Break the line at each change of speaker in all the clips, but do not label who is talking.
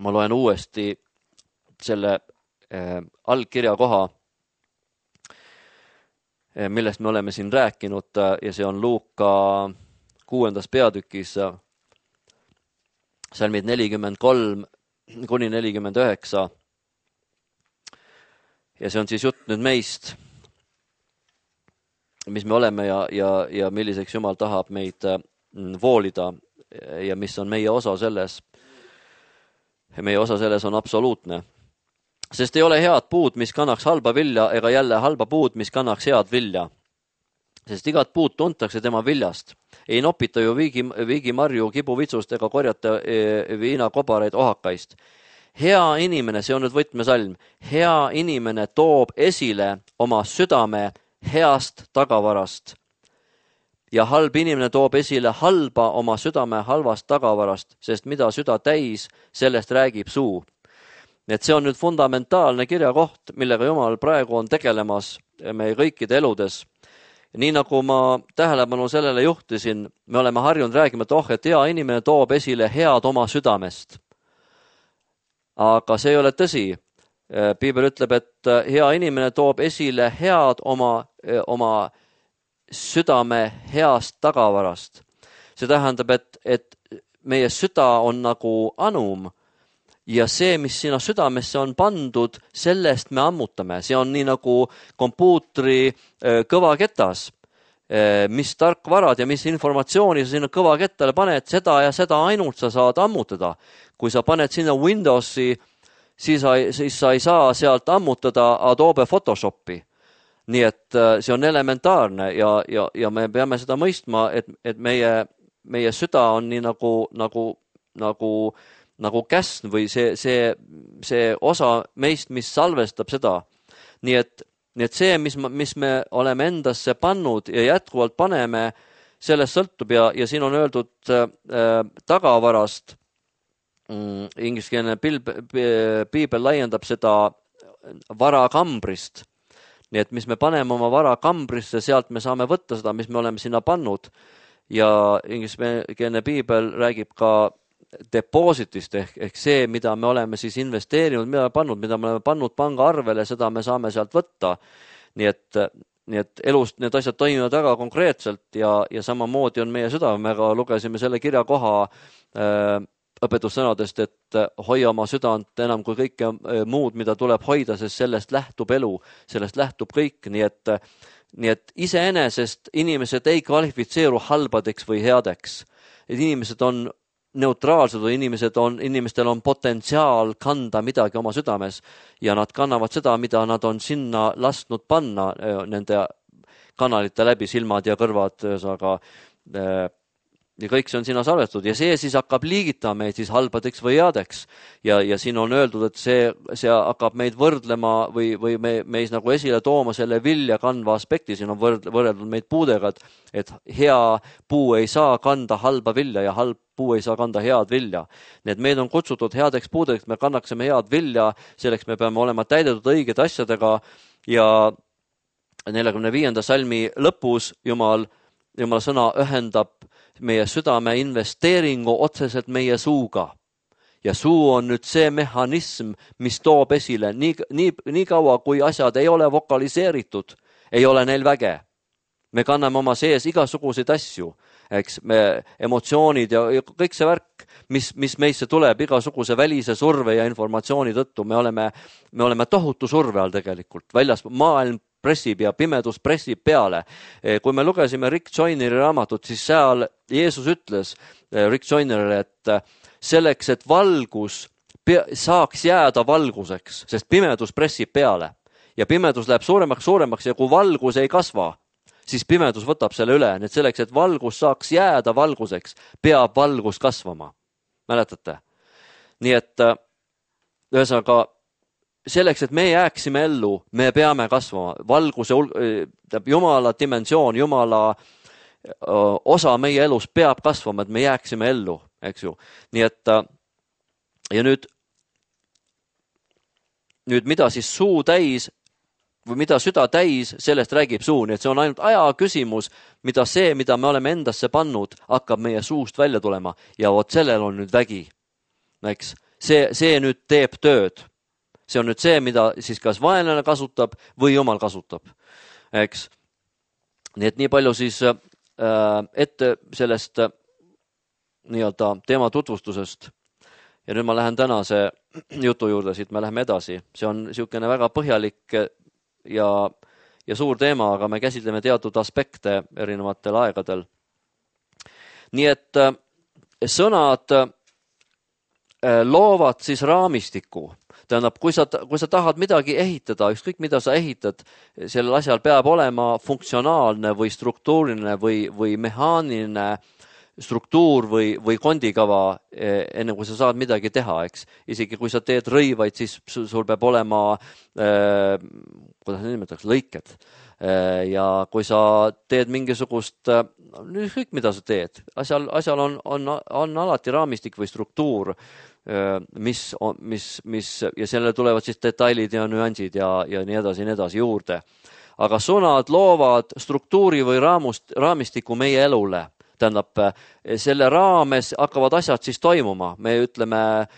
ma loen uuesti selle algkirja koha, millest me oleme siin rääkinud ja see on Luuka 6. peatükis salmid 43 kuni 49 ja see on siis jutt nüüd meist, mis me oleme ja milliseks Jumal tahab meid voolida ja mis on meie osa selles. Meie osa selles on absoluutne. Sest ei ole head puud, mis kannaks halba vilja, ega jälle halba puud, mis kannaks head vilja. Sest igat puud tuntakse tema viljast. Ei nopita ju viigimarju kibuvitsust ega korjata viinakobareid ohakaist. Hea inimene, see on nüüd võtmesalm, hea inimene toob esile oma südame heast tagavarast. Ja halb inimene toob esile halba oma südame halvast tagavarast, sest mida süda täis, sellest räägib suu. Et see on nüüd fundamentaalne kirjakoht, millega Jumal praegu on tegelemas meie kõikide eludes. Nii nagu ma tähelepanu sellele juhtisin, me oleme harjunud räägima, et hea inimene toob esile head oma südamest. Aga see ei ole tõsi. Piibel ütleb, et hea inimene toob esile head oma südame heast tagavarast. See tähendab, et meie süda on nagu anum ja see, mis sinna südamesse on pandud, sellest me ammutame. See on nii nagu kompuutri kõvaketas, mis tarkvarad ja mis informatsiooni sa sinna kõvakettale paned, seda ja seda ainult sa saad ammutada. Kui sa paned sinna Windowsi, siis sa ei saa sealt ammutada Adobe Photoshopi. Nii et see on elementaarne ja me peame seda mõistma, et meie süda on nii nagu käsn või see osa meist, mis salvestab seda. Nii et see, mis me oleme endasse pannud ja jätkuvalt paneme, sellest sõltub ja siin on öeldud tagavarast. Ingliskeelne piibel laiendab seda varakambrist. Nii et mis me paneme oma varakambrisse, sealt me saame võtta seda, mis me oleme sinna pannud. Ja ingliskeelne piibel räägib ka depositist ehk see, mida me oleme siis investeerinud, mida me oleme pannud pangaarvele, seda me saame sealt võtta. Nii et elust need asjad toimivad väga konkreetselt ja samamoodi on meie süda. Me ka lugesime selle kirjakoha õpetussõnadest, et hoia oma südant enam kui kõike muud, mida tuleb hoida, sest sellest lähtub elu, sellest lähtub kõik. Nii et iseenesest inimesed ei kvalifitseeru halbadeks või headeks. Et inimesed on neutraalsed või inimestel on potentsiaal kanda midagi oma südames ja nad kannavad seda, mida nad on sinna lasknud panna nende kanalite läbi, silmad ja kõrvad, ja kõik see on sinna salvestatud ja see siis hakkab liigitama meid siis halbadeks või headeks ja siin on öeldud, et see hakkab meid võrdlema või meis nagu esile tooma selle vilja kandva aspekti. Siin on võrreldud meid puudega, et hea puu ei saa kanda halba vilja ja halb puu ei saa kanda head vilja. Need meid on kutsutud headeks puudeks, me kannaksime head vilja, selleks me peame olema täidetud õiged asjadega ja 45. salmi lõpus Jumal sõna ühendab meie südame investeeringu otseselt meie suuga. Ja suu on nüüd see mehhanism, mis toob esile nii kaua, kui asjad ei ole vokaliseeritud, ei ole neil väge. Me kanname oma sees igasuguseid asju, eks me emotsioonid ja kõik see värk, mis meisse tuleb igasuguse välise surve ja informatsiooni tõttu. Me oleme tohutu surve all tegelikult. Väljas maailm pressib ja pimedus pressib peale. Kui me lugesime Rick Joyneri raamatut, siis seal Jeesus ütles Rick Joynerile, et selleks, et valgus saaks jääda valguseks, sest pimedus pressib peale ja pimedus läheb suuremaks ja kui valgus ei kasva, siis pimedus võtab selle üle. Nii et selleks, et valgus saaks jääda valguseks, peab valgus kasvama. Mäletate? Nii et ühesõnaga selleks, et me jääksime ellu, me peame kasvama. Valguse, Jumala dimensioon, Jumala osa meie elus peab kasvama, et me jääksime ellu, eks ju. Nii et ja nüüd mida siis suu täis või mida süda täis, sellest räägib suu. Nii et see on ainult aja küsimus, mida me oleme endasse pannud, hakkab meie suust välja tulema ja vot sellel on nüüd vägi. Eks? see nüüd teeb tööd. See on nüüd see, mida siis kas vaenlane kasutab või Jumal kasutab. Eks? Nii et nii palju siis ette sellest nii-öelda teema tutvustusest. Ja nüüd ma lähen tänase jutu juurde, siit me läheme edasi. See on niisugune väga põhjalik ja suur teema, aga me käsitleme teatud aspekte erinevatel aegadel. Nii et sõnad loovad siis raamistiku. Tähendab, kui sa tahad midagi ehitada, ükskõik mida sa ehitad, sellel asjal peab olema funktsionaalne või struktuuriline või mehaaniline struktuur või kondikava, enne kui sa saad midagi teha, eks. Isegi kui sa teed rõivaid, siis sul peab olema, kuidas nimetaks, lõiked. Ja kui sa teed mingisugust, ükskõik mida sa teed, asjal on alati raamistik või struktuur, mis ja sellele tulevad siis detailid ja nüansid ja nii edasi juurde. Aga sõnad loovad struktuuri või raamistiku meie elule. Tähendab, selle raames hakkavad asjad siis toimuma. Me ütleme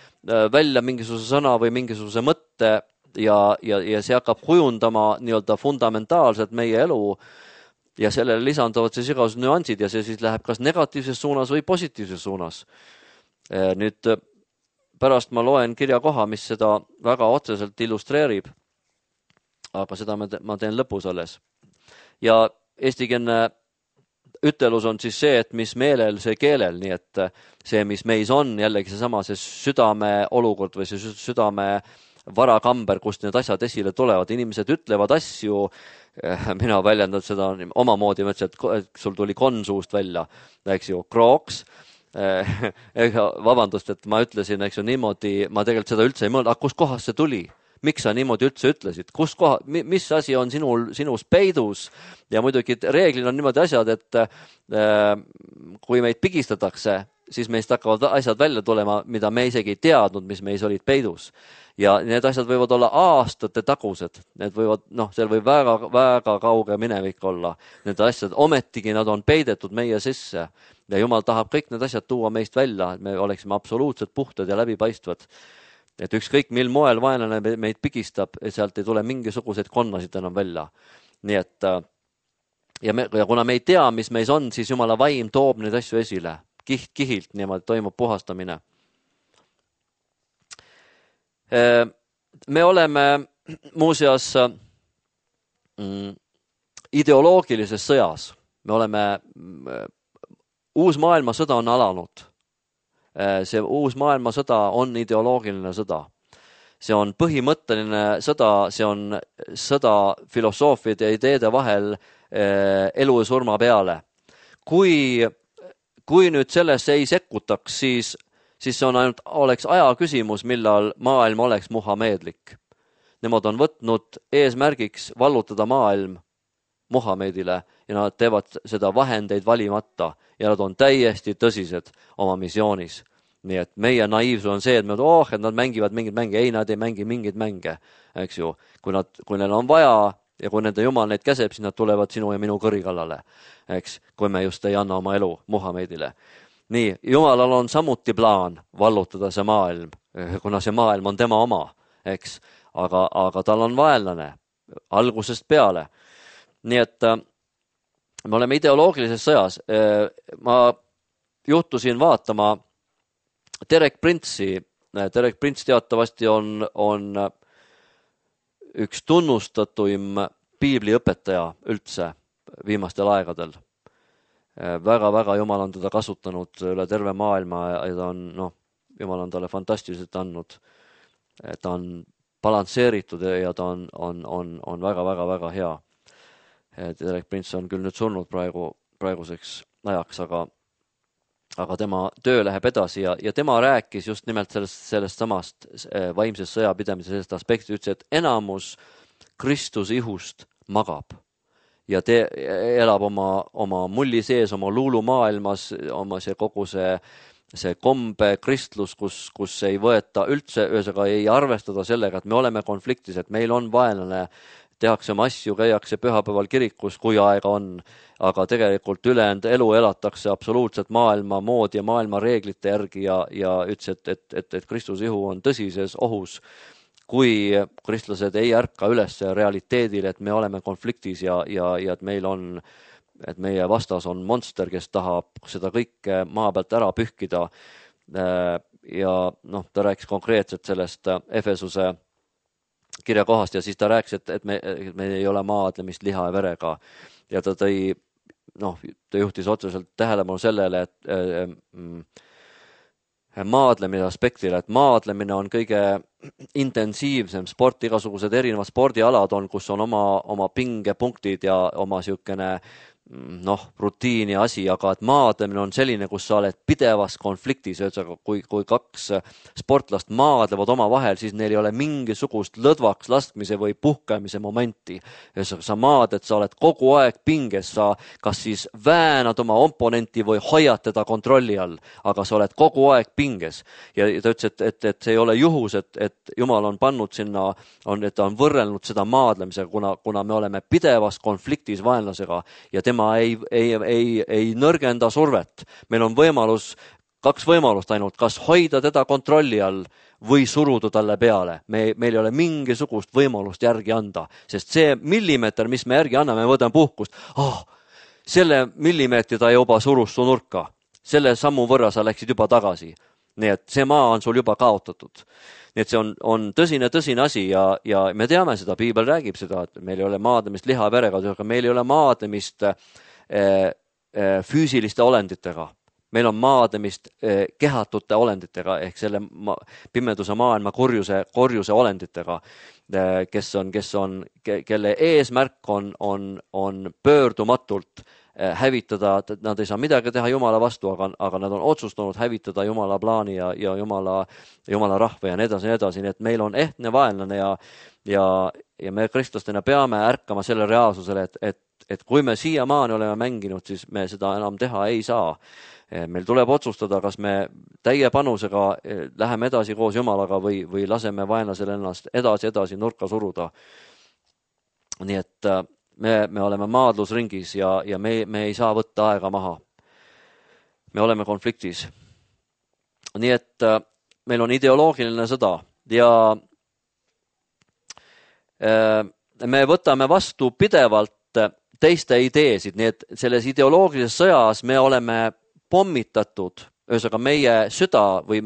välja mingisuguse sõna või mingisuguse mõtte ja see hakkab kujundama nii-öelda fundamentaalselt meie elu ja sellele lisanduvad siis igasugused nüansid ja see siis läheb kas negatiivses suunas või positiivses suunas. Nüüd pärast ma loen kirjakoha, mis seda väga otseselt illustreerib, aga seda ma teen lõpus alles. Ja eestikeelne ütelus on siis see, et mis meelel, see keelel, nii et see, mis meis on, jällegi seesama, see südame olukord või see südame varakamber, kust need asjad esile tulevad. Inimesed ütlevad asju, mina väljendan seda omamoodi, ma ütlesin, et sul tuli konsuust välja, eks ju, krooks. Vabandust, et ma ütlesin, eks ju, niimoodi, ma tegelikult seda üldse ei mõelnud, aga kus kohas see tuli? Miks sa niimoodi üldse ütlesid? Mis asi on sinus peidus? Ja muidugi reeglina on niimoodi asjad, et kui meid pigistatakse, siis meist hakkavad asjad välja tulema, mida me isegi ei teadnud, mis meis olid peidus. Ja need asjad võivad olla aastate tagused. Need võivad, seal võib väga kauge minevik olla. Need asjad, ometigi nad on peidetud meie sisse. Ja Jumal tahab kõik need asjad tuua meist välja, et me oleksime absoluutselt puhtad ja läbipaistvad. Et ükskõik mil moel vaenlane meid pigistab, et sealt ei tule mingisuguseid konnasid enam välja. Nii et, ja kuna me ei tea, mis meis on, siis Jumala vaim toob neid asju esile. Kihilt niimoodi toimub puhastamine. Me oleme muuseas ideoloogilises sõjas. Me oleme, uus maailmasõda on alanud. See uus maailmasõda on ideoloogiline sõda. See on põhimõtteline sõda, see on sõda filosoofiad ja ideede vahel elu ja surma peale. Kui nüüd sellesse ei sekkutaks, siis see on ainult, oleks aja küsimus, millal maailm oleks muhameedlik. Nemad on võtnud eesmärgiks vallutada maailm Muhamedile ja nad teevad seda vahendeid valimata ja nad on täiesti tõsised oma missioonis. Nii et meie naiivsus on see, et et nad mängivad mingeid mänge. Ei, nad ei mängi mingeid mänge, eks ju. Kui neil on vaja ja kui nende Jumal neid käseb, siis nad tulevad sinu ja minu kõri kallale, eks, kui me just ei anna oma elu Muhamedile. Nii, Jumalal on samuti plaan vallutada see maailm, kuna see maailm on tema oma, eks, aga tal on vaenlane algusest peale. Nii et me oleme ideoloogilises sõjas. Ma juhtusin vaatama Derek Prince'i. Derek Prince teatavasti on üks tunnustatuim piibliõpetaja üldse viimastel aegadel. Väga Jumal on teda kasutanud üle terve maailma ja ta on, Jumal on talle fantastiliselt andnud. Ta on balansseeritud ja ta on väga hea. Derek Prince on küll nüüd surnud praeguseks ajaks, aga tema töö läheb edasi ja tema rääkis just nimelt sellest samast vaimsest sõjapidamise sellest aspektist, ütles, et enamus Kristuse ihust magab ja elab oma mulli sees, oma luulumaailmas, oma kogu see kombe kristlus, kus ei võeta üldse, ühesõnaga ei arvestada sellega, et me oleme konfliktis, et meil on vaenlane, tehakse oma asju, käiakse pühapäeval kirikus, kui aega on, aga tegelikult ülejäänud elu elatakse absoluutselt maailma moodi ja maailma reeglite järgi ja ütles, et Kristuse ihu on tõsises ohus, kui kristlased ei ärka üles realiteedile, et me oleme konfliktis ja et meil on, et meie vastas on monster, kes tahab seda kõike maa pealt ära pühkida. Ja noh, ta rääkis konkreetselt sellest Efesuse kirja kohast ja siis ta rääkis, et me ei ole maadlemist liha ja verega ja ta tõi, ta juhtis otseselt tähelepanu sellele, et maadlemise aspektile, et maadlemine on kõige intensiivsem sport, igasugused erinevad spordialad on, kus on oma pingepunktid ja oma siukene rutiini asi, aga et maadlemine on selline, kus sa oled pidevas konfliktis, kui kaks sportlast maadlevad oma vahel, siis neil ei ole mingisugust lõdvaks laskmise või puhkemise momenti. Sa maadled, sa oled kogu aeg pinges, sa kas siis väänad oma oponenti või hoiad teda kontrolli all, aga sa oled kogu aeg pinges. Ja ta ütles, et see ei ole juhus, et Jumal on pannud sinna, et ta on võrrelnud seda maadlemisega, kuna me oleme pidevas konfliktis vaenlasega ja tema ei nõrgenda survet. Meil on kaks võimalust ainult, kas hoida teda kontrolli all või suruda talle peale. Meil ei ole mingisugust võimalust järgi anda, sest see millimeeter, mis me järgi anname, me võtame puhkust. Selle millimeetri ta juba surus su nurka. Selle sammu võrra sa läksid juba tagasi. Nii et see maa on sul juba kaotatud. Nii et see on tõsine asi ja me teame seda, Piibel räägib seda, et meil ei ole maadlemist liha verega, aga meil ei ole maadlemist füüsiliste olenditega. Meil on maadlemist kehatute olenditega ehk selle pimeduse maailma korjuse olenditega, kelle eesmärk on pöördumatult hävitada, nad ei saa midagi teha Jumala vastu, aga nad on otsustanud hävitada Jumala plaani ja Jumala rahva ja nii edasi, nii et meil on ehtne vaenlane ja me kristlastena peame ärkama selle reaalsusele, et kui me siiamaani oleme mänginud, siis me seda enam teha ei saa. Meil tuleb otsustada, kas me täie panusega läheme edasi koos Jumalaga või laseme vaenlasel ennast edasi nurka suruda. Nii et me oleme maadlusringis ja me ei saa võtta aega maha. Me oleme konfliktis. Nii et meil on ideoloogiline sõda ja me võtame vastu pidevalt teiste ideesid, nii et selles ideoloogilises sõjas me oleme pommitatud, ühesõnaga meie süda või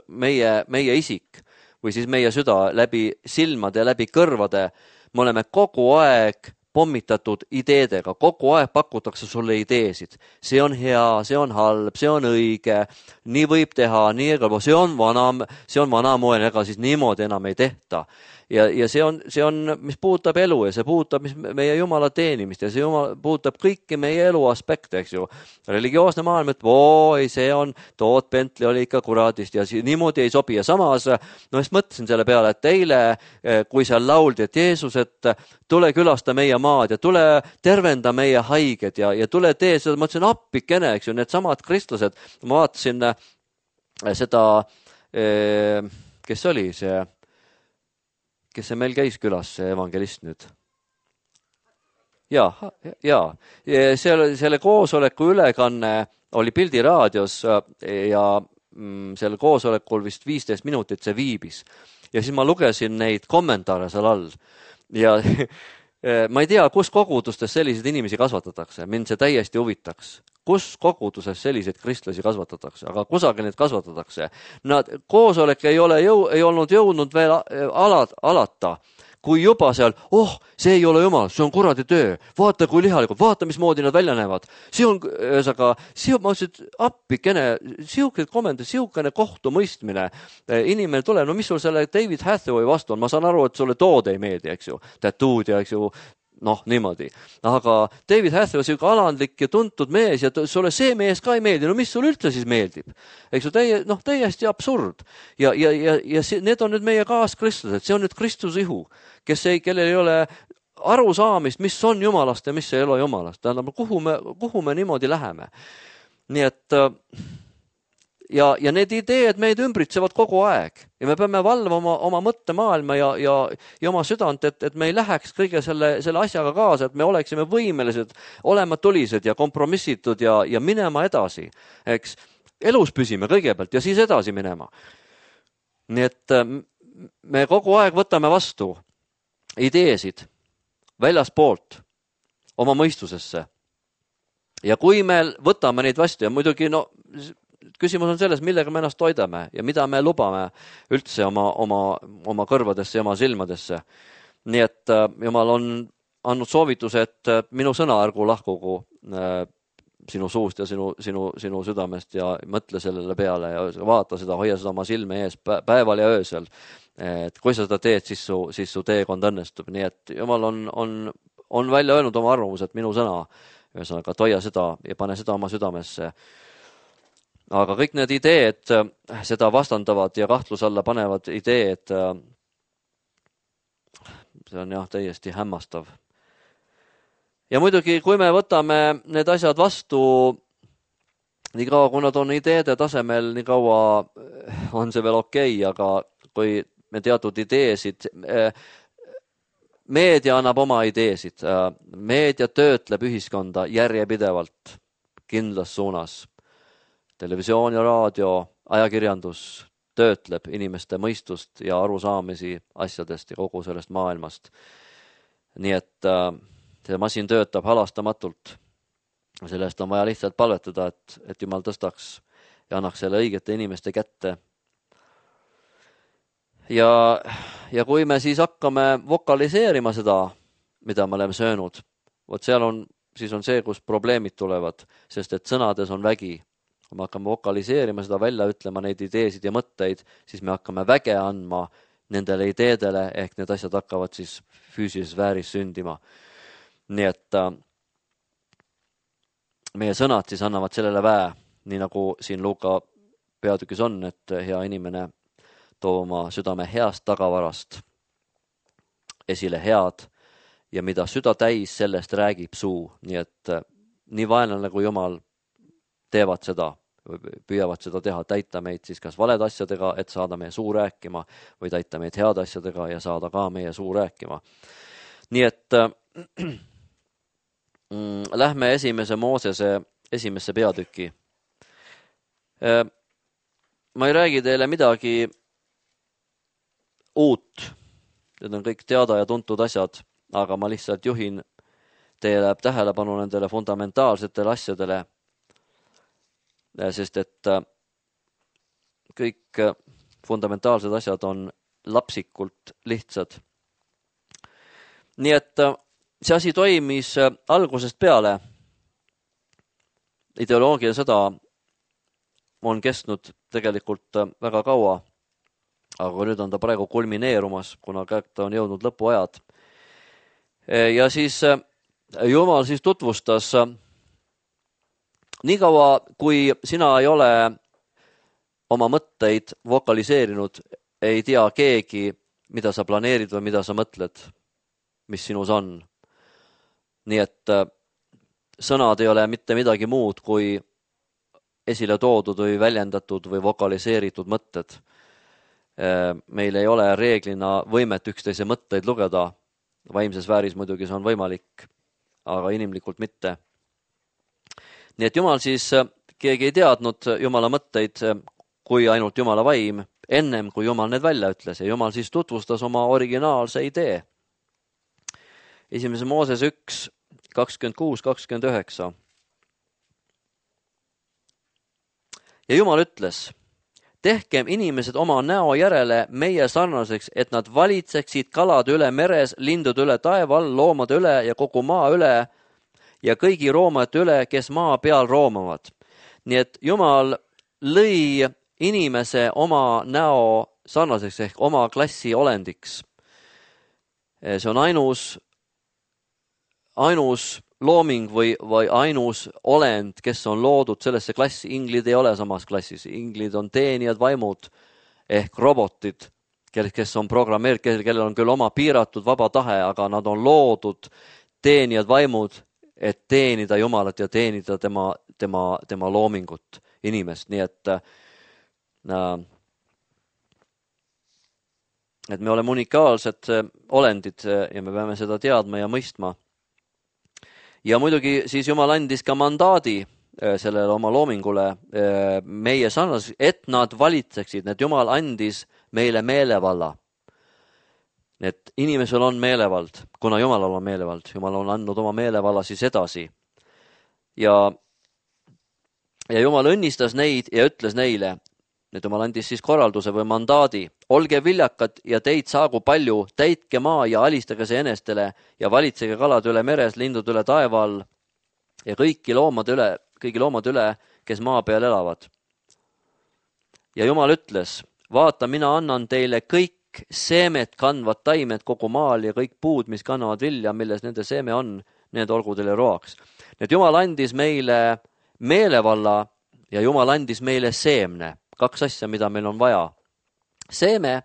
meie isik või siis meie süda läbi silmade ja läbi kõrvade, me oleme kogu aeg pommitatud ideedega, kogu aeg pakutakse sulle ideesid. See on hea, see on halb, see on õige, nii võib teha, nii ega see on vanamoel, ega siis niimoodi enam ei tehta. Ja see on, mis puudutab elu ja see puudutab meie Jumala teenimist ja see puudutab kõiki meie elu aspekte, eks ju. Religioosne maailm, et see on, tood Bentley oli ikka kuradist ja niimoodi ei sobi. Ja samas, siis mõtlesin selle peale, et eile, kui seal lauldi, et Jeesus, et tule külasta meie maad ja tule tervenda meie haiged ja tule tee seda, ma mõtlesin appikene, eks ju, need samad kristlased. Ma vaatasin seda, kes oli see, kes see meil käis külas, see evangelist nüüd? Jaa. Selle koosoleku ülekanne oli Pildiraadios ja selle koosolekul vist 15 minutit see viibis. Ja siis ma lugesin neid kommentaare seal all. Ja ma ei tea, kus kogudustes selliseid inimesi kasvatatakse. Mind see täiesti huvitaks. Kus koguduses selliseid kristlasi kasvatatakse, aga kusagil neid kasvatatakse. Koosolek ei olnud jõudnud veel alata, kui juba seal, see ei ole Jumal, see on kuradi töö, vaata kui lihalikud, vaata mismoodi nad välja näevad. See on, ma ütlesin, appikene, siukene kohtumõistmine. Inimene tuleb, mis sul selle David Hathaway vastu on, ma saan aru, et sulle tood ei meeldi, eks ju, tattoo'd ja eks ju, niimoodi. Aga David Hathaway on siuke alandlik ja tuntud mees ja sulle see mees ka ei meeldi. Mis sul üldse siis meeldib? Eks ju, täiesti absurd. Ja need on nüüd meie kaaskristlased. See on nüüd Kristuse ihu, kellel ei ole arusaamist, mis on Jumalast ja mis ei ole Jumalast. Tähendab, kuhu me niimoodi läheme. Nii et ja need ideed meid ümbritsevad kogu aeg ja me peame valvama oma mõttemaailma ja oma südant, et me ei läheks kõige selle asjaga kaasa, et me oleksime võimelised olema tulised ja kompromissitud ja minema edasi. Eks elus püsime kõigepealt ja siis edasi minema. Nii et me kogu aeg võtame vastu ideesid väljaspoolt oma mõistusesse. Ja kui me võtame neid vastu ja muidugi küsimus on selles, millega me ennast toidame ja mida me lubame üldse oma kõrvadesse ja oma silmadesse. Nii et Jumal on andnud soovituse, et minu sõna ärgu lahkugu sinu suust ja sinu südamest ja mõtle sellele peale ja vaata seda, hoia seda oma silme ees päeval ja öösel. Et kui sa seda teed, siis su teekond õnnestub. Nii et Jumal on välja öelnud oma arvamus, et minu sõna, ühesõnaga, hoia seda ja pane seda oma südamesse. Aga kõik need ideed seda vastandavad ja kahtluse alla panevad ideed, see on jah täiesti hämmastav. Ja muidugi, kui me võtame need asjad vastu, nii kaua, kui nad on ideede tasemel, nii kaua on see veel okei, aga kui me teatud ideesid, meedia annab oma ideesid, meedia töötleb ühiskonda järjepidevalt kindlas suunas. Televisioon ja raadio, ajakirjandus töötleb inimeste mõistust ja arusaamisi asjadest ja kogu sellest maailmast. Nii et see masin töötab halastamatult. Sellest on vaja lihtsalt palvetada, et Jumal tõstaks ja annaks selle õigete inimeste kätte. Ja kui me siis hakkame vokaliseerima seda, mida me oleme söönud, siis on see, kus probleemid tulevad, sest et sõnades on vägi. Kui me hakkame vokaliseerima seda, välja ütlema neid ideesid ja mõtteid, siis me hakkame väge andma nendele ideedele, ehk need asjad hakkavad siis füüsilises vääris sündima. Nii et meie sõnad siis annavad sellele väe, nii nagu siin Luuka peatükis on, et hea inimene toob oma südame heast tagavarast esile head ja mida süda täis, sellest räägib suu. Nii et nii vaenlane kui Jumal teevad seda, püüavad seda teha, täita meid siis kas valed asjadega, et saada meie suu rääkima või täita meid head asjadega ja saada ka meie suu rääkima. Nii et lähme esimese Moosese esimesse peatüki. Ma ei räägi teile midagi uut. Need on kõik teada ja tuntud asjad, aga ma lihtsalt juhin teile tähelepanu nendele fundamentaalsetele asjadele, sest et kõik fundamentaalsed asjad on lapsikult lihtsad. Nii et see asi toimis algusest peale. Ideoloogia sõda on kestnud tegelikult väga kaua, aga nüüd on ta praegu kulmineerumas, kuna ta on jõudnud lõpuajad. Ja siis Jumal siis tutvustas, nii kaua kui sina ei ole oma mõtteid vokaliseerinud, ei tea keegi, mida sa planeerid või mida sa mõtled, mis sinus on. Nii et sõnad ei ole mitte midagi muud kui esile toodud või väljendatud või vokaliseeritud mõtted. Meil ei ole reeglina võimet üksteise mõtteid lugeda. Vaimses vääris muidugi see on võimalik, aga inimlikult mitte. Nii et Jumal siis, keegi ei teadnud Jumala mõtteid kui ainult Jumala vaim, ennem kui Jumal need välja ütles. Ja Jumal siis tutvustas oma originaalse idee. Esimese Mooses 1, 26-29. Ja Jumal ütles, tehkem inimesed oma näo järele meie sarnaseks, et nad valitseksid kalade üle meres, lindude üle taeva all, loomade üle ja kogu maa üle ja kõigi roomade üle, kes maa peal roomavad. Nii et Jumal lõi inimese oma näo sarnaseks ehk oma klassi olendiks. See on ainus looming või ainus olend, kes on loodud sellesse klassi. Inglid ei ole samas klassis. Inglid on teenijad vaimud ehk robotid, kes on programmeeritud, kellel on küll oma piiratud vaba tahe, aga nad on loodud teenijad vaimud, et teenida Jumalat ja teenida tema loomingut, inimest. Nii et et me oleme unikaalsed olendid ja me peame seda teadma ja mõistma. Ja muidugi siis Jumal andis ka mandaadi sellele oma loomingule meie sarnas, et nad valitseksid, et Jumal andis meile meelevalla. Et inimesel on meelevald, kuna Jumalal on meelevald. Jumal on andnud oma meelevalla siis edasi. Ja Jumal õnnistas neid ja ütles neile, et Jumal andis siis korralduse või mandaadi. Olge viljakad ja teid saagu palju, täitke maa ja alistage see enestele ja valitsege kalad üle meres, lindud üle taeva all ja kõigi loomade üle, kes maa peal elavad. Ja Jumal ütles, vaata, mina annan teile kõik seemet kandvad taimed kogu maal ja kõik puud, mis kannavad vilja, milles nende seeme on, need olgu teile roaks. Need Jumal andis meile meelevalla ja Jumal andis meile seemne. 2 asja, mida meil on vaja. Seeme,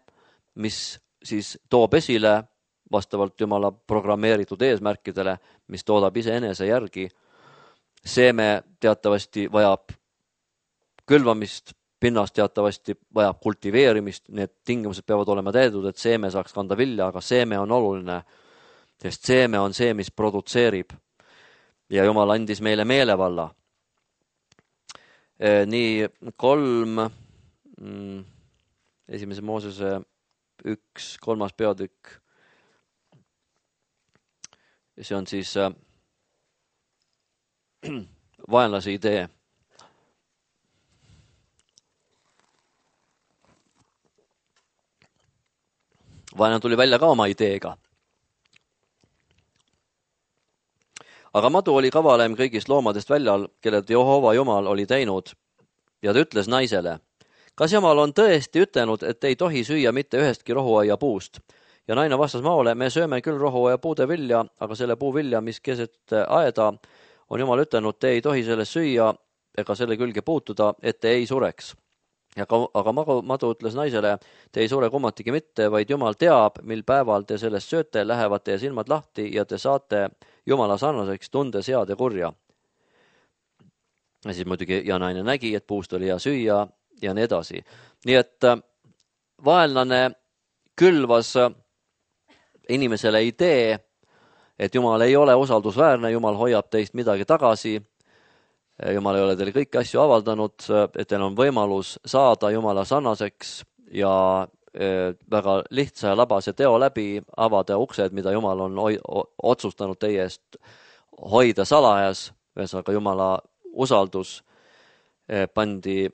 mis siis toob esile vastavalt Jumala programmeeritud eesmärkidele, mis toodab iseenese järgi. Seeme teatavasti vajab külvamist, pinnast teatavasti vajab kultiveerimist, need tingimused peavad olema täidud, et seeme saaks kanda vilja, aga seeme on oluline, sest seeme on see, mis produtseerib. Ja Jumal andis meile meelevalla. Nii 3, 1. Moosese 1, 3. peatükk. See on siis vaenlase idee. Vaenlane tuli välja ka oma ideega. Aga madu oli kavalem kõigist loomadest väljal, kellelt Jehova Jumal oli teinud, ja ta ütles naisele, kas Jumal on tõesti ütelnud, et ei tohi süüa mitte ühestki rohuaia puust? Ja naine vastas maole, me sööme küll rohuaia puude vilja, aga selle puu vilja, mis keset aeda, on Jumal ütelnud, te ei tohi sellest süüa ega selle külge puutuda, et te ei sureks. Aga madu ütles naisele, te ei sure kummatigi mitte, vaid Jumal teab, mil päeval te sellest sööte, lähevad teie silmad lahti ja te saate Jumala sarnaseks tundes head ja kurja. Ja siis muidugi ja naine nägi, et puust oli hea süüa ja nii edasi. Nii et vaenlane külvas inimesele idee, et Jumal ei ole usaldusväärne, Jumal hoiab teist midagi tagasi, Jumal ei ole teile kõiki asju avaldanud, et teil on võimalus saada Jumala sarnaseks ja väga lihtsa ja labase teo läbi avada uksed, mida Jumal on otsustanud teie eest hoida salajas. Ühesõnaga Jumala usaldus pandi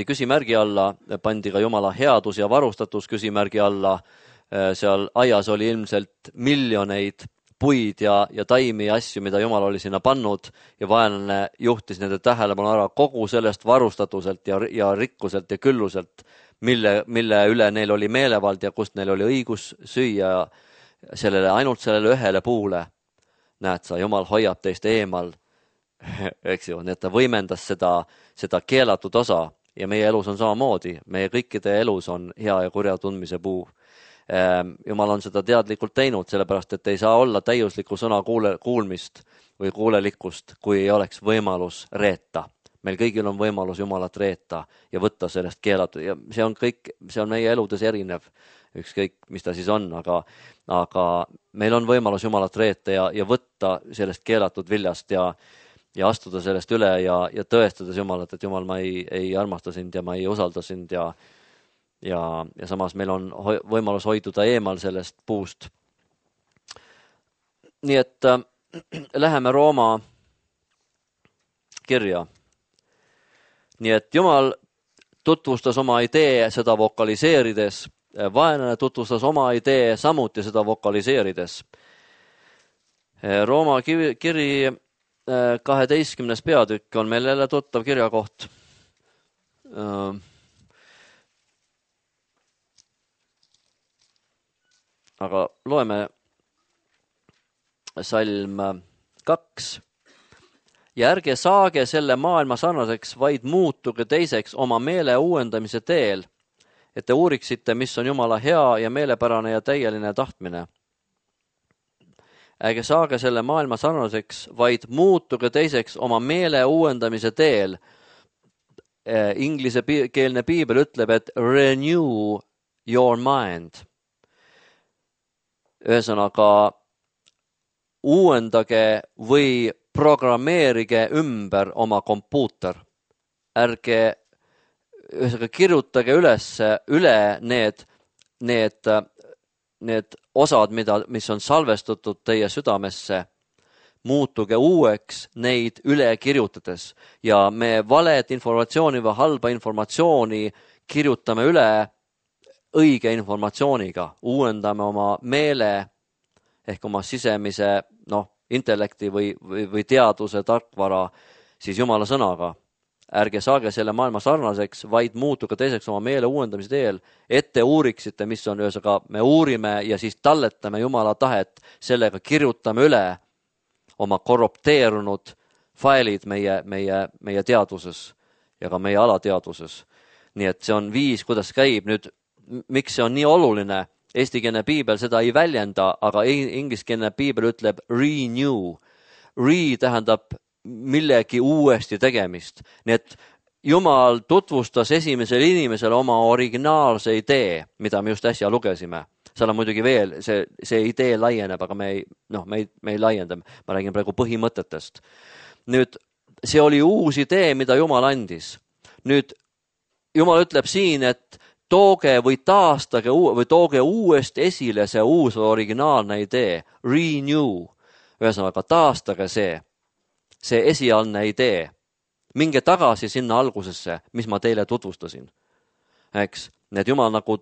küsimärgi alla, pandi ka Jumala headus ja varustatus küsimärgi alla. Seal aias oli ilmselt miljoneid puid ja taimi ja asju, mida Jumal oli sinna pannud ja vaenlane juhtis nende tähelepanu ära kogu sellest varustatuselt ja rikkuselt ja külluselt, mille üle neil oli meelevald ja kust neil oli õigus süüa ainult sellele ühele puule. Näed sa, Jumal hoiab teist eemal, eks ju, nii et ta võimendas seda keelatud osa ja meie elus on samamoodi, meie kõikide elus on hea ja kurja tundmise puu. Jumal on seda teadlikult teinud, sellepärast, et ei saa olla täiuslikku sõna kuulmist või kuulelikkust, kui ei oleks võimalus reeta. Meil kõigil on võimalus Jumalat reeta ja võtta sellest keelatud ja see on meie eludes erinev, ükskõik mis ta siis on, aga meil on võimalus Jumalat reeta ja võtta sellest keelatud viljast ja astuda sellest üle ja tõestades Jumalat, et Jumal, ma ei armasta sind ja ma ei usalda sind ja samas meil on võimalus hoiduda eemal sellest puust. Nii et läheme Rooma kirja. Nii et Jumal tutvustas oma idee seda vokaliseerides, vaenlane tutvustas oma idee samuti seda vokaliseerides. Rooma kiri 12. peatükk on meil jälle tuttav kirjakoht. Aga loeme salm 2. Ja ärge saage selle maailma sarnaseks, vaid muutuge teiseks oma meele uuendamise teel, et te uuriksite, mis on Jumala hea ja meelepärane ja täieline tahtmine. Ärge saage selle maailma sarnaseks, vaid muutuge teiseks oma meele uuendamise teel. inglisekeelne piibel ütleb, et renew your mind. Ühesõnaga, uuendage või programmeerige ümber oma kompuuter. Ärge kirjutage üle need osad, mis on salvestatud teie südamesse. Muutuge uueks neid üle kirjutades ja me valet informatsiooni või halba informatsiooni kirjutame üle õige informatsiooniga. Uuendame oma meele ehk oma sisemise intellekti või teaduse tarkvara siis Jumala sõnaga. Ärge saage selle maailma sarnaseks, vaid muutuge teiseks oma meele uuendamise teel. Ette uuriksite, mis on ühesõnaga, me uurime ja siis talletame Jumala tahet, sellega kirjutame üle oma korrupteerunud failid meie teaduses ja ka meie alateaduses. Nii et see on viis, kuidas käib. Nüüd, miks see on nii oluline? Eestikeelne piibel seda ei väljenda, aga ingliskeelne piibel ütleb renew. Re tähendab millegi uuesti tegemist. Nii et Jumal tutvustas esimesele inimesele oma originaalse idee, mida me just äsja lugesime. Seal on muidugi veel, see idee laieneb, aga me ei laienda. Ma räägin praegu põhimõtetest. Nüüd, see oli uus idee, mida Jumal andis. Nüüd, Jumal ütleb siin, et tooge või taastage või tooge uuesti esile see uus originaalne idee. Renew. Ühesõnaga, taastage see esialgne idee. Minge tagasi sinna algusesse, mis ma teile tutvustasin. Eks? Need Jumal nagu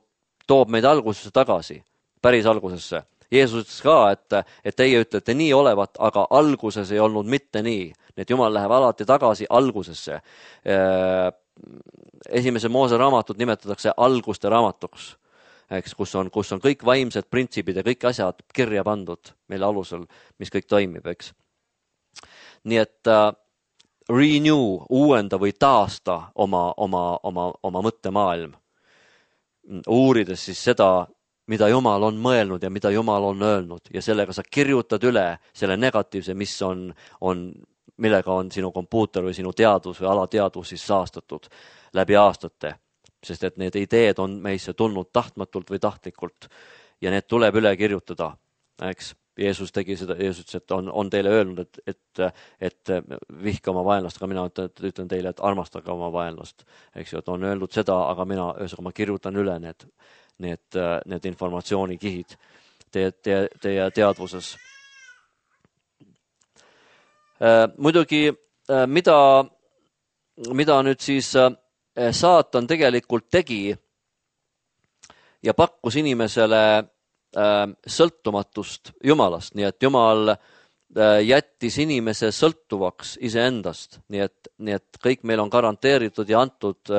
toob meid algusesse tagasi, päris algusesse. Jeesus ütles ka, et teie ütlete nii olevat, aga alguses ei olnud mitte nii. Need Jumal läheb alati tagasi algusesse. Esimese Moose raamatut nimetatakse alguste raamatuks, eks, kus on kõik vaimsed printsipid ja kõik asjad kirja pandud, mille alusel, mis kõik toimib, eks. Nii et renew, uuenda või taasta oma mõttemaailm. Uurides siis seda, mida Jumal on mõelnud ja mida Jumal on öelnud ja sellega sa kirjutad üle selle negatiivse, millega on sinu kompuuter või sinu teadus või alateadus siis saastatud läbi aastate. Sest et need ideed on meisse tulnud tahtmatult või tahtlikult ja need tuleb üle kirjutada. Eks? Jeesus tegi seda, Jeesus ütles, et on teile öelnud, et vihka oma vaenlast, aga mina ütlen teile, et armastage oma vaenlast. Eks ju, et on öelnud seda, aga ma kirjutan üle need informatsioonikihid teie teadvuses. Muidugi, mida nüüd siis saatan tegelikult tegi ja pakkus inimesele sõltumatust Jumalast, nii et Jumal jättis inimese sõltuvaks iseendast, nii et kõik meil on garanteeritud ja antud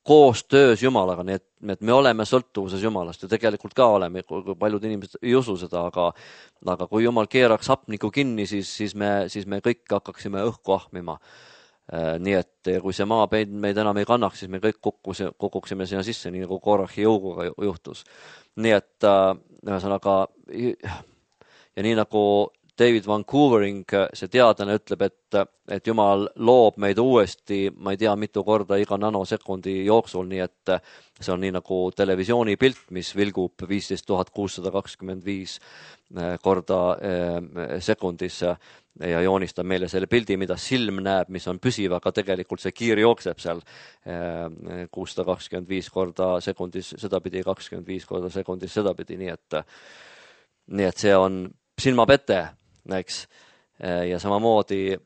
koostöös Jumalaga, nii et me oleme sõltuvuses Jumalast ja tegelikult ka oleme, kui paljud inimesed ei usu seda, aga kui Jumal keeraks hapniku kinni, siis me kõik hakkaksime õhku ahmima. Nii et kui see maa meid enam ei kannaks, siis me kõik kukuksime sinna sisse, nii nagu Korahi jõuguga juhtus. Nii et ühesõnaga, ja nii nagu David Vancouvering, see teadlane ütleb, et Jumal loob meid uuesti, ma ei tea mitu korda iga nanosekundi jooksul, nii et see on nii nagu televisioonipilt, mis vilgub 15 625 korda sekundis ja joonistab meile selle pildi, mida silm näeb, mis on püsiv, aga tegelikult see kiir jookseb seal 625 korda sekundis sedapidi, 25 korda sekundis sedapidi, nii et see on silmapete, eks. Ja samamoodi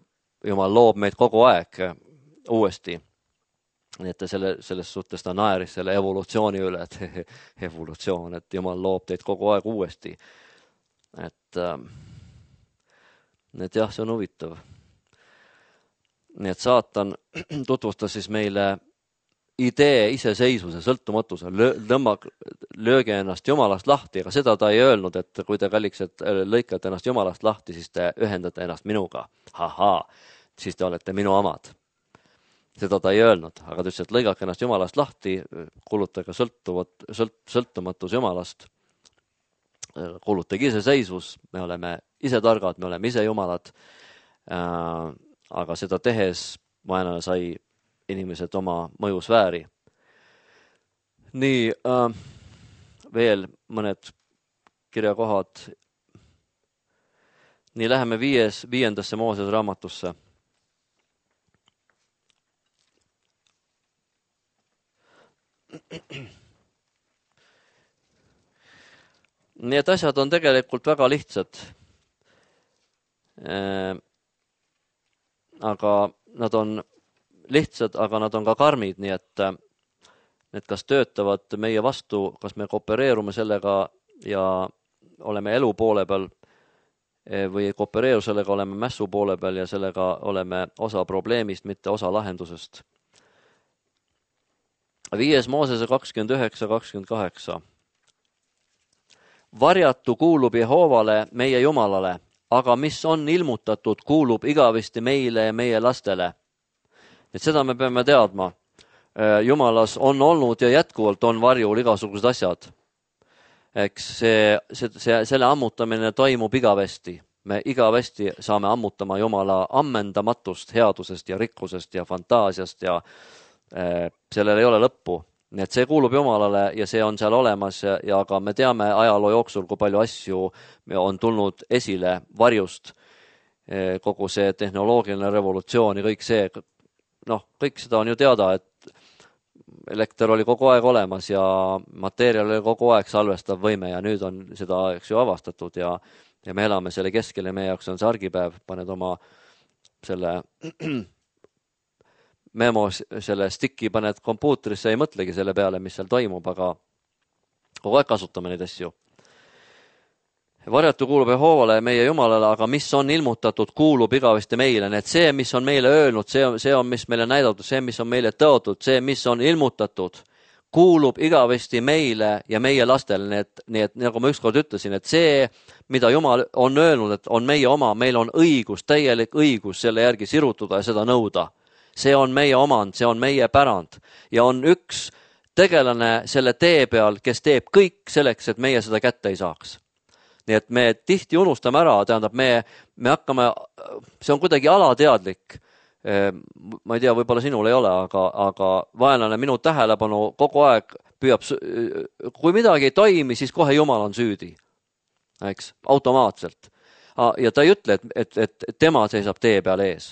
Jumal loob meid kogu aeg uuesti. Nii et selles suhtes ta naeris selle evolutsiooni üle, et evolutsioon, et Jumal loob teid kogu aeg uuesti. Et jah, see on huvitav. Nii et saatan tutvustas siis meile idee iseseisvuse, sõltumatuse, lööge ennast Jumalast lahti, aga seda ta ei öelnud, et kui te kalliksed lõikate ennast Jumalast lahti, siis te ühendate ennast minuga. Hahaa, siis te olete minu omad. Seda ta ei öelnud, aga ta ütles, et lõigake ennast Jumalast lahti, kuulutage sõltumatus Jumalast, kuulutage iseseisvus, me oleme ise targad, me oleme ise Jumalad, aga seda tehes vaenlane sai inimesed oma mõjusfääri. Nii, veel mõned kirjakohad. Nii, läheme 5. Moosese raamatusse. Nii et asjad on tegelikult väga lihtsad. Aga nad on lihtsad, aga nad on ka karmid, nii et need kas töötavad meie vastu, kas me koopereerume sellega ja oleme elu poole peal või ei koopereeru sellega, oleme mässu poole peal ja sellega oleme osa probleemist, mitte osa lahendusest. 5. Moosese 29-28. Varjatu kuulub Jehoovale, meie Jumalale, aga mis on ilmutatud, kuulub igavesti meile ja meie lastele. Et seda me peame teadma. Jumalas on olnud ja jätkuvalt on varjul igasugused asjad. Eks selle ammutamine toimub igavesti. Me igavesti saame ammutama Jumala ammendamatust, headusest ja rikkusest ja fantaasiast ja sellel ei ole lõppu. Nii et see kuulub Jumalale ja see on seal olemas ja ka me teame ajaloo jooksul, kui palju asju on tulnud esile varjust, kogu see tehnoloogiline revolutsioon ja kõik see, kõik seda on ju teada, et elekter oli kogu aeg olemas ja materjal oli kogu aeg salvestav võime ja nüüd on seda ju avastatud ja me elame selle keskel ja meie jaoks on see argipäev, paned oma selle memo, selle sticki paned kompuutrisse, ei mõtlegi selle peale, mis seal toimub, aga kogu aeg kasutame neid asju. Varjatu kuulub Jehoovale, meie Jumalale, aga mis on ilmutatud, kuulub igavesti meile. Need see, mis on meile öelnud, see on, mis meile näidatud, see, mis on meile tõotud, see, mis on ilmutatud, kuulub igavesti meile ja meie lastele. Nii et nagu ma ükskord ütlesin, et see, mida Jumal on öelnud, et on meie oma, meil on õigus, täielik õigus selle järgi sirutuda ja seda nõuda. See on meie omand, see on meie pärand ja on üks tegelane selle tee peal, kes teeb kõik selleks, et meie seda kätte ei saaks. Nii et me tihti unustame ära, tähendab, me hakkame, see on kuidagi alateadlik. Ma ei tea, võib-olla sinul ei ole, aga vaenlane minu tähelepanu kogu aeg püüab, kui midagi ei toimi, siis kohe Jumal on süüdi. Eks, automaatselt. Ja ta ei ütle, et tema seisab tee peal ees.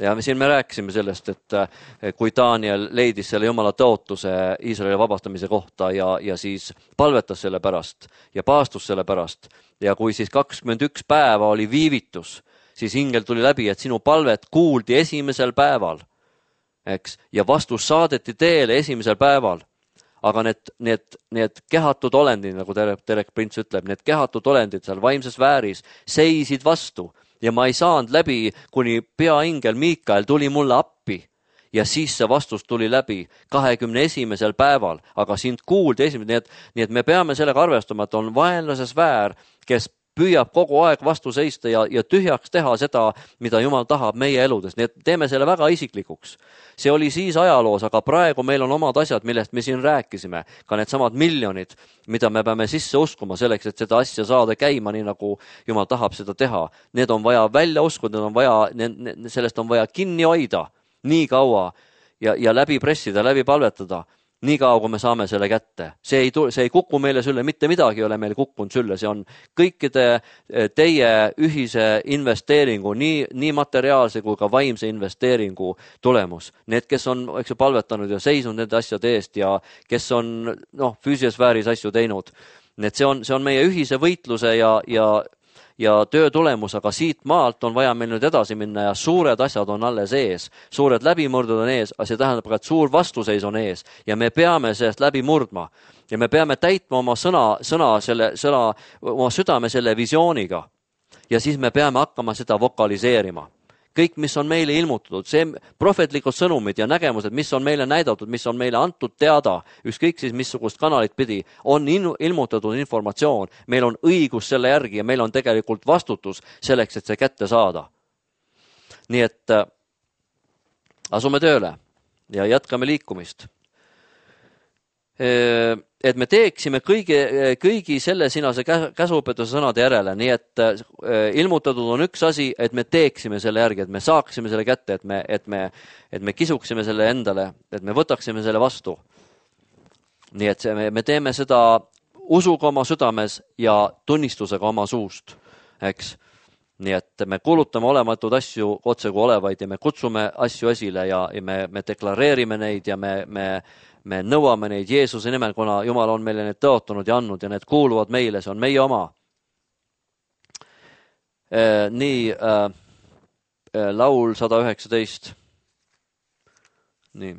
Ja siin me rääkisime sellest, et kui Daniel leidis selle Jumala tõotuse Iisraeli vabastamise kohta ja siis palvetas selle pärast ja paastus selle pärast ja kui siis 21 päeva oli viivitus, siis ingel tuli läbi, et sinu palvet kuuldi esimesel päeval, eks, ja vastus saadeti teele esimesel päeval. Aga need kehatud olendid, nagu Derek Prints ütleb, need kehatud olendid seal vaimses vääris seisid vastu. Ja ma ei saanud läbi, kuni peaingel Miikael tuli mulle appi ja siis see vastus tuli läbi 21. päeval, aga sind kuuldi esimene, nii et me peame sellega arvestama, et on vaenlase sfäär, kes püüab kogu aeg vastu seista ja tühjaks teha seda, mida Jumal tahab meie eludes. Nii et teeme selle väga isiklikuks. See oli siis ajaloos, aga praegu meil on omad asjad, millest me siin rääkisime. Ka need samad miljonid, mida me peame sisse uskuma selleks, et seda asja saada käima, nii nagu Jumal tahab seda teha. Need on vaja välja uskuda, sellest on vaja kinni hoida nii kaua ja läbi pressida, läbi palvetada. Nii kaua, kui me saame selle kätte. See ei kuku meile sülle, mitte midagi ei ole meil kukkunud sülle. See on kõikide teie ühise investeeringu, nii materiaalse kui ka vaimse investeeringu tulemus. Need, kes on palvetanud ja seisnud nende asjade eest ja kes on füüsilises vääris asju teinud. See on meie ühise võitluse ja töö tulemus, aga siit maalt on vaja meil nüüd edasi minna ja suured asjad on alles ees. Suured läbimurdud on ees, aga see tähendab ka, et suur vastuseis on ees ja me peame sellest läbi murdma. Ja me peame täitma oma oma südame selle visiooniga ja siis me peame hakkama seda vokaliseerima. Kõik, mis on meile ilmutatud, see prohvetlikud sõnumid ja nägemused, mis on meile näidatud, mis on meile antud teada, ükskõik siis missugust kanalit pidi, on ilmutatud informatsioon. Meil on õigus selle järgi ja meil on tegelikult vastutus selleks, et see kätte saada. Nii et asume tööle ja jätkame liikumist. et me teeksime kõigi selle sinase käsuõpetuse sõnade järele, nii et ilmutatud on üks asi, et me teeksime selle järgi, et me saaksime selle kätte, et me kisuksime selle endale, et me võtaksime selle vastu. Nii et me teeme seda usuga oma südames ja tunnistusega oma suust, eks. Nii et me kuulutame olematud asju otse kui olevaid ja me kutsume asju esile ja me deklareerime neid ja me nõuame neid Jeesuse nimel, kuna Jumal on meile need tõotanud ja andnud ja need kuuluvad meile, see on meie oma. Nii, laul 119. Nii,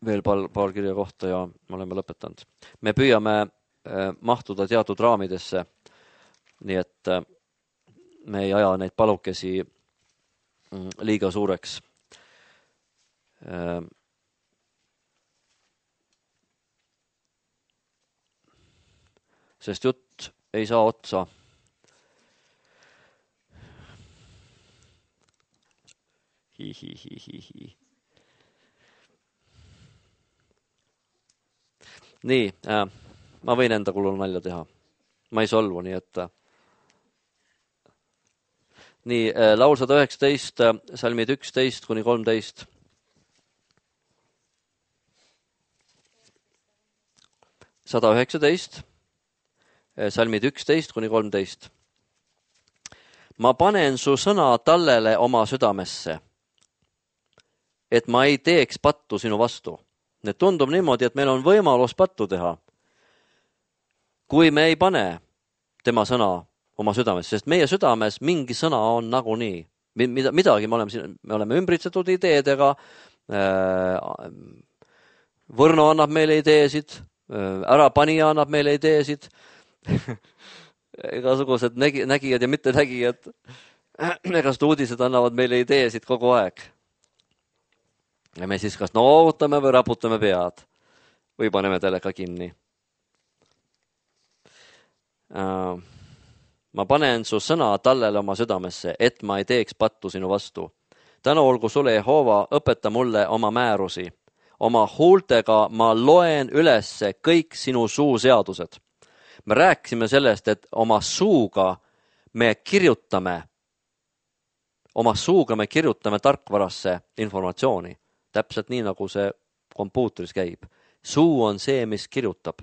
veel paar kirja kohta ja me oleme lõpetanud. Me püüame mahtuda teatud raamidesse, nii et me ei aja neid palukesi liiga suureks. Sest jutt ei saa otsa. Nii, ma võin enda kulul nalja teha. Ma ei solvu, nii et... Nii, laul 119, salmid 11 kuni 13. Salmid 11 kuni 13. Ma panen su sõna tallele oma südamesse, et ma ei teeks pattu sinu vastu. Need tundub niimoodi, et meil on võimalus pattu teha, kui me ei pane tema sõna oma südames, sest meie südames mingi sõna on nagunii. Midagi me oleme ümbritsetud ideedega, Võrno annab meile ideesid, ärapanija annab meile ideesid, igasugused nägijad ja mitte nägijad, igasugused uudised annavad meile ideesid kogu aeg. Ja me siis kas noogutame või raputame pead või paneme teleka kinni. Ma panen su sõna tallele oma südamesse, et ma ei teeks pattu sinu vastu. Tänu olgu sulle, Jehova, õpeta mulle oma määrusi. Oma huultega ma loen ülesse kõik sinu suuseadused. Me rääkisime sellest, et oma suuga me kirjutame tarkvarasse informatsiooni. Täpselt nii, nagu see kompuutris käib. Suu on see, mis kirjutab.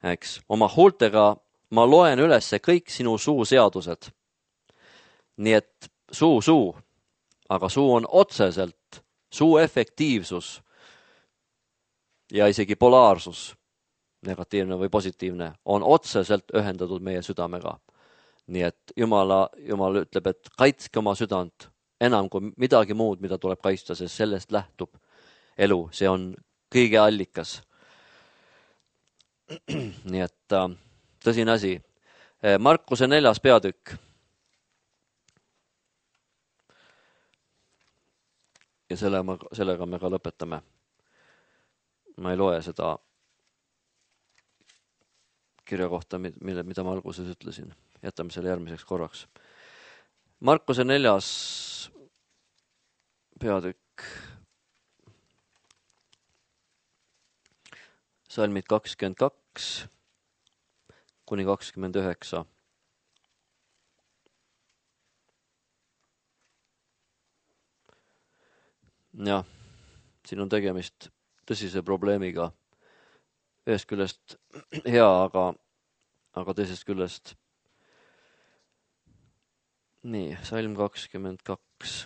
Eks? Oma huultega ma loen ülesse kõik sinu suuseadused. Nii et suu, aga suu on otseselt, suu efektiivsus ja isegi polaarsus, negatiivne või positiivne, on otseselt ühendatud meie südamega. Nii et Jumal ütleb, et kaitske oma südant enam kui midagi muud, mida tuleb kaitsta, sest sellest lähtub elu. See on kõige allikas. Nii et tõsine asi. Markuse 4. peatükk. Ja sellega me ka lõpetame. Ma ei loe seda kirja kohta, mida ma alguses ütlesin. Jätame selle järgmiseks korraks. Markuse 4. peatükk. Salmid 22 kuni 29. Jah, siin on tegemist tõsise probleemiga. Ühest küljest hea, aga teisest küljest. Nii, salm 22.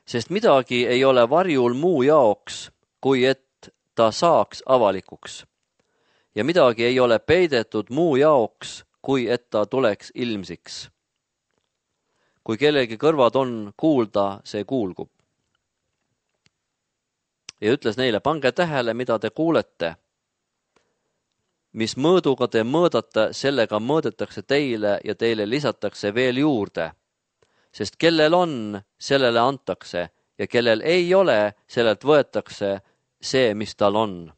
Sest midagi ei ole varjul muu jaoks, kui et ta saaks avalikuks. Ja midagi ei ole peidetud muu jaoks, kui et ta tuleks ilmsiks. Kui kellegi kõrvad on kuulda, see kuulgub. Ja ütles neile, pange tähele, mida te kuulete. Mis mõõduga te mõõdate, sellega mõõdetakse teile ja teile lisatakse veel juurde. Sest kellel on, sellele antakse ja kellel ei ole, sellelt võetakse see, mis tal on.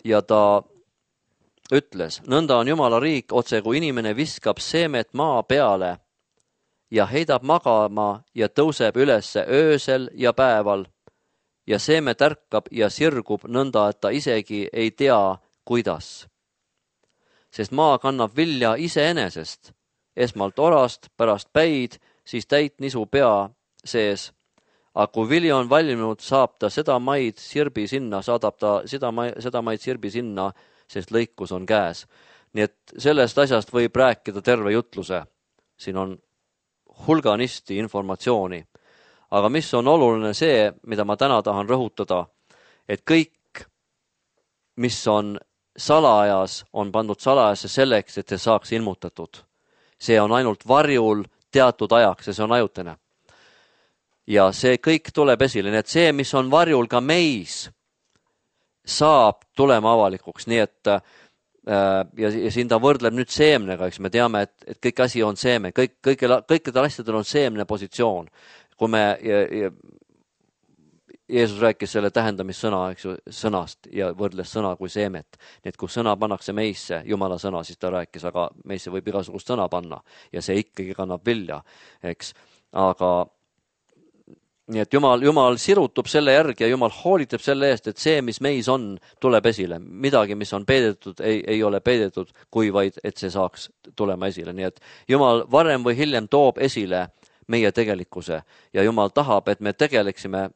Ja ta ütles, nõnda on Jumala riik, otse kui inimene viskab seemet maa peale ja heidab magama ja tõuseb ülesse öösel ja päeval ja seeme tärkab ja sirgub nõnda, et ta isegi ei tea, kuidas. Sest maa kannab vilja iseenesest, esmalt orast, pärast päid, siis täit nisu pea sees. Aga kui vili on valminud, saab ta seda maid sirbi sinna, saadab ta seda maid sirbi sinna, sest lõikus on käes. Nii et sellest asjast võib rääkida terve jutluse. Siin on hulganisti informatsiooni. Aga mis on oluline see, mida ma täna tahan rõhutada, et kõik, mis on salajas, on pandud salajasse selleks, et see saaks ilmutatud. See on ainult varjul teatud ajaks ja see on ajutine. Ja see kõik tuleb esile, nii et see, mis on varjul ka meis, saab tulema avalikuks, nii et ja siin ta võrdleb nüüd seemnega, eks me teame, et kõik asi on seeme, kõikidel asjadel on seemne positsioon. Kui me, Jeesus rääkis selle tähendamissõna, eks ju, sõnast ja võrdles sõna kui seemet. Nii et kui sõna pannakse meisse, Jumala sõna, siis ta rääkis, aga meisse võib igasugust sõna panna ja see ikkagi kannab vilja, eks. Aga nii et Jumal sirutub selle järgi ja Jumal hoolitab selle eest, et see, mis meis on, tuleb esile. Midagi, mis on peidetud, ei ole peidetud, kui vaid, et see saaks tulema esile. Nii et Jumal varem või hiljem toob esile meie tegelikkuse ja Jumal tahab, et me tegeleksime,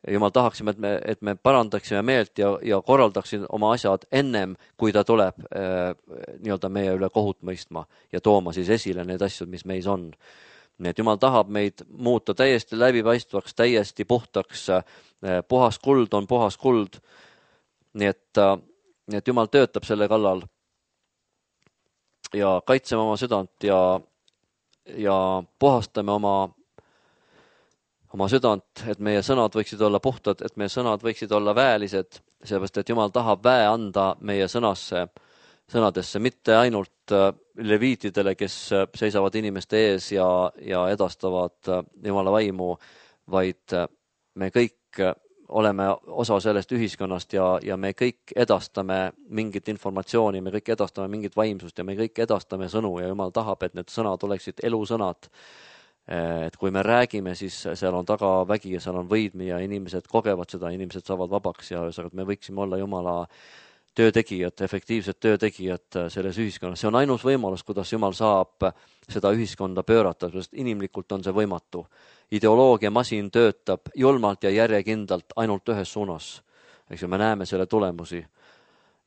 Jumal tahaksime, et me parandaksime meelt ja korraldaksime oma asjad ennem, kui ta tuleb nii-öelda meie üle kohut mõistma ja tooma siis esile need asjad, mis meis on. Nii et Jumal tahab meid muuta täiesti läbipaistvaks, täiesti puhtaks, puhas kuld on puhas kuld. Nii et Jumal töötab selle kallal ja kaitseme oma südant ja puhastame oma südant, et meie sõnad võiksid olla puhtad, et meie sõnad võiksid olla väelised, sellepärast et Jumal tahab väe anda meie sõnadesse, mitte ainult leviitidele, kes seisavad inimeste ees ja edastavad Jumala vaimu, vaid me kõik oleme osa sellest ühiskonnast ja me kõik edastame mingit informatsiooni, me kõik edastame mingit vaimsust ja me kõik edastame sõnu ja Jumal tahab, et need sõnad oleksid elusõnad. Et kui me räägime, siis seal on taga vägi ja seal on võidmi ja inimesed kogevad seda, inimesed saavad vabaks ja me võiksime olla Jumala töötegijad, efektiivsed töötegijad selles ühiskonnas. See on ainus võimalus, kuidas Jumal saab seda ühiskonda pöörata, sest inimlikult on see võimatu. Ideoloogia masin töötab julmalt ja järjekindlalt ainult ühes suunas. Eks me näeme selle tulemusi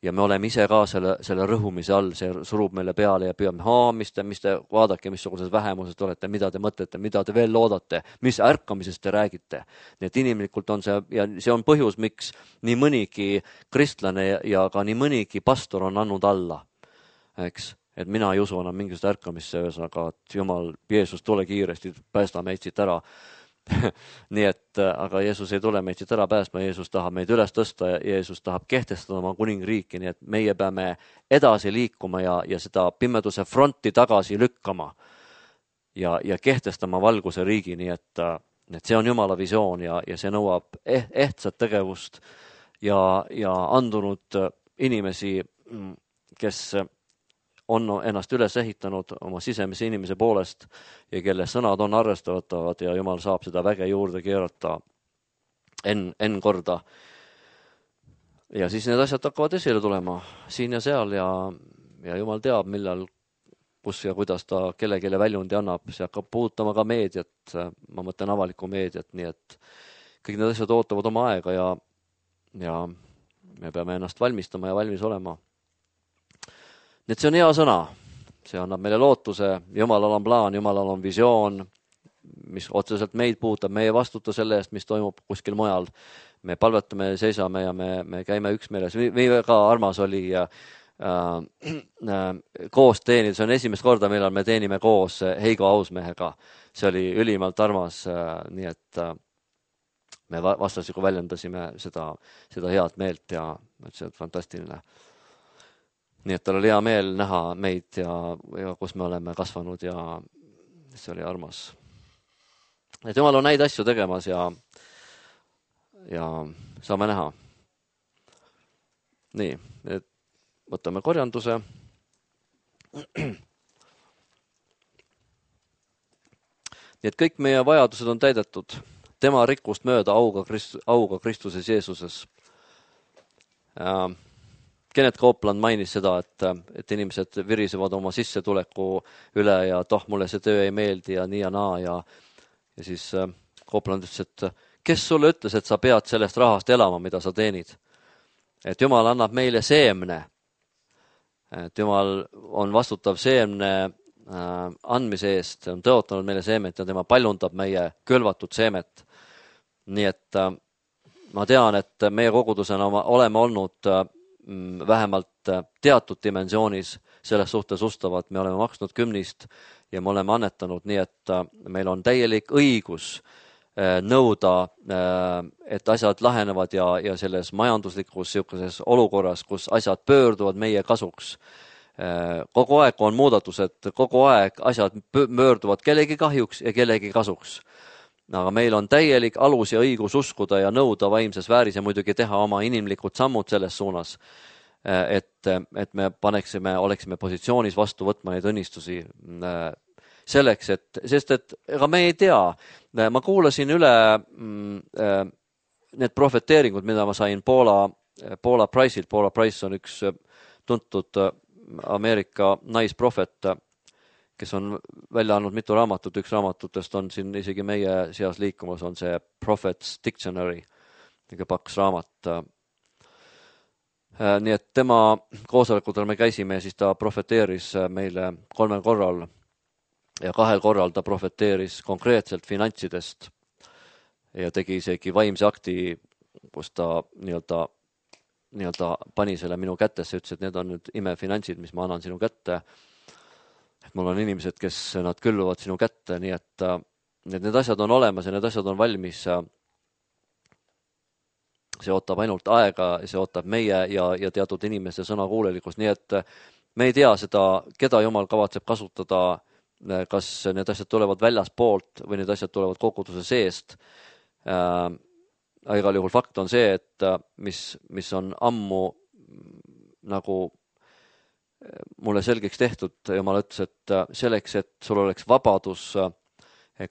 ja me oleme ise ka selle rõhumise all, see surub meile peale ja püüame, mis te vaadake, missugused vähemused olete, mida te mõtlete, mida te veel loodate, mis ärkamisest te räägite. Nii et inimlikult on see ja see on põhjus, miks nii mõnigi kristlane ja ka nii mõnigi pastor on andnud alla. Eks, et mina ei usu enam mingisugust ärkamisse, ühesõnaga, et Jumal, Jeesus, tule kiiresti, päästa meid siit ära. Nii et, aga Jeesus ei tule meid siit ära päästma, Jeesus tahab meid üles tõsta ja Jeesus tahab kehtestada oma kuningriiki, nii et meie peame edasi liikuma ja seda pimeduse fronti tagasi lükkama ja kehtestama valguse riigi, nii et see on Jumala visioon ja see nõuab ehtsat tegevust ja andunud inimesi, kes on ennast üles ehitanud oma sisemise inimese poolest ja kelle sõnad on arvestatavad ja Jumal saab seda väge juurde keerata N korda. Ja siis need asjad hakkavad esile tulema siin ja seal ja Jumal teab, millal, kus ja kuidas ta kellelegi väljundi annab. See hakkab puudutama ka meediat, ma mõtlen avalikku meediat, nii et kõik need asjad ootavad oma aega ja me peame ennast valmistama ja valmis olema. Nii et see on hea sõna, see annab meile lootuse, Jumalal on plaan, Jumalal on visioon, mis otseselt meid puudutab, meie vastuta selle eest, mis toimub kuskil mujal. Me palvetame, seisame ja me käime üksmeeles. Väga armas oli koos teenida, see on esimest korda, millal me teenime koos Heigo Ausmehega. See oli ülimalt armas, nii et me vastastikku väljendasime seda head meelt ja see on fantastiline. Nii et tal oli hea meel näha meid ja kus me oleme kasvanud ja see oli armas. Et Jumal on neid asju tegemas ja saame näha. Nii, et võtame korjanduse. Nii et kõik meie vajadused on täidetud tema rikkust mööda auga Kristuses Jeesuses. Kenneth Copeland mainis seda, et inimesed virisevad oma sissetuleku üle ja mulle see töö ei meeldi ja nii ja naa ja siis Copeland ütles, et kes sulle ütles, et sa pead sellest rahast elama, mida sa teenid? Et Jumal annab meile seemne. Et Jumal on vastutav seemne andmise eest, on tõotanud meile seemet ja tema paljundab meie külvatud seemet. Nii et ma tean, et meie kogudusena oleme olnud vähemalt teatud dimensioonis selles suhtes ustavad. Me oleme maksnud 10 ja me oleme annetanud, nii et meil on täielik õigus nõuda, et asjad lahenevad ja selles majanduslikus olukorras, kus asjad pöörduvad meie kasuks. Kogu aeg on muudatused, kogu aeg asjad pöörduvad kellegi kahjuks ja kellegi kasuks. Aga meil on täielik alus ja õigus uskuda ja nõuda vaimses vääris ja muidugi teha oma inimlikud sammud selles suunas, et me oleksime positsioonis vastu võtma neid õnnistusi selleks, sest ega me ei tea. Ma kuulasin üle need profeteeringud, mida ma sain Paula Price'ilt. Paula Price on üks tuntud Ameerika naisprofet, kes on välja andnud mitu raamatut. Üks raamatutest on siin isegi meie seas liikumas, on see Prophet's Dictionary, kõige paks raamat. Nii et tema koosolekutel me käisime ja siis ta profeteeris meile 3 korral ja 2 korral ta profeteeris konkreetselt finantsidest ja tegi isegi vaimse akti, kus ta nii-öelda pani selle minu kättesse, ütles, et need on nüüd imefinantsid, mis ma annan sinu kätte. Et mul on inimesed, kes nad külluvad sinu kätte, nii et need asjad on olemas ja need asjad on valmis. See ootab ainult aega, see ootab meie ja teatud inimeste sõnakuulelikkust, nii et me ei tea seda, keda Jumal kavatseb kasutada, kas need asjad tulevad väljaspoolt või need asjad tulevad koguduse seest. Igal juhul fakt on see, et mis on ammu nagu mulle selgeks tehtud, Jumal ütles, et selleks, et sul oleks vabadus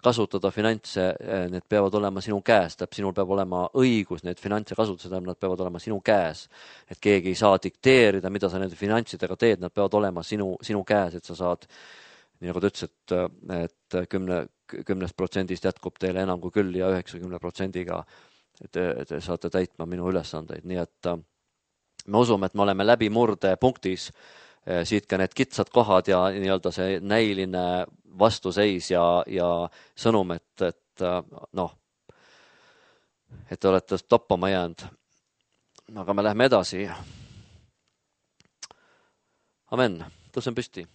kasutada finantse, need peavad olema sinu käes, sinul peab olema õigus need finantse kasutada, nad peavad olema sinu käes, et keegi ei saa dikteerida, mida sa nende finantsidega teed, nad peavad olema sinu käes, et sa saad, nii nagu ta ütles, et 10% jätkub teile enam kui küll ja 90%-ga te saate täitma minu ülesandeid, nii et me usume, et me oleme läbimurde punktis, siit ka need kitsad kohad ja nii-öelda see näiline vastuseis ja sõnum, et te olete toppama jäänud. Aga me läheme edasi. Amen. Tõusen püsti.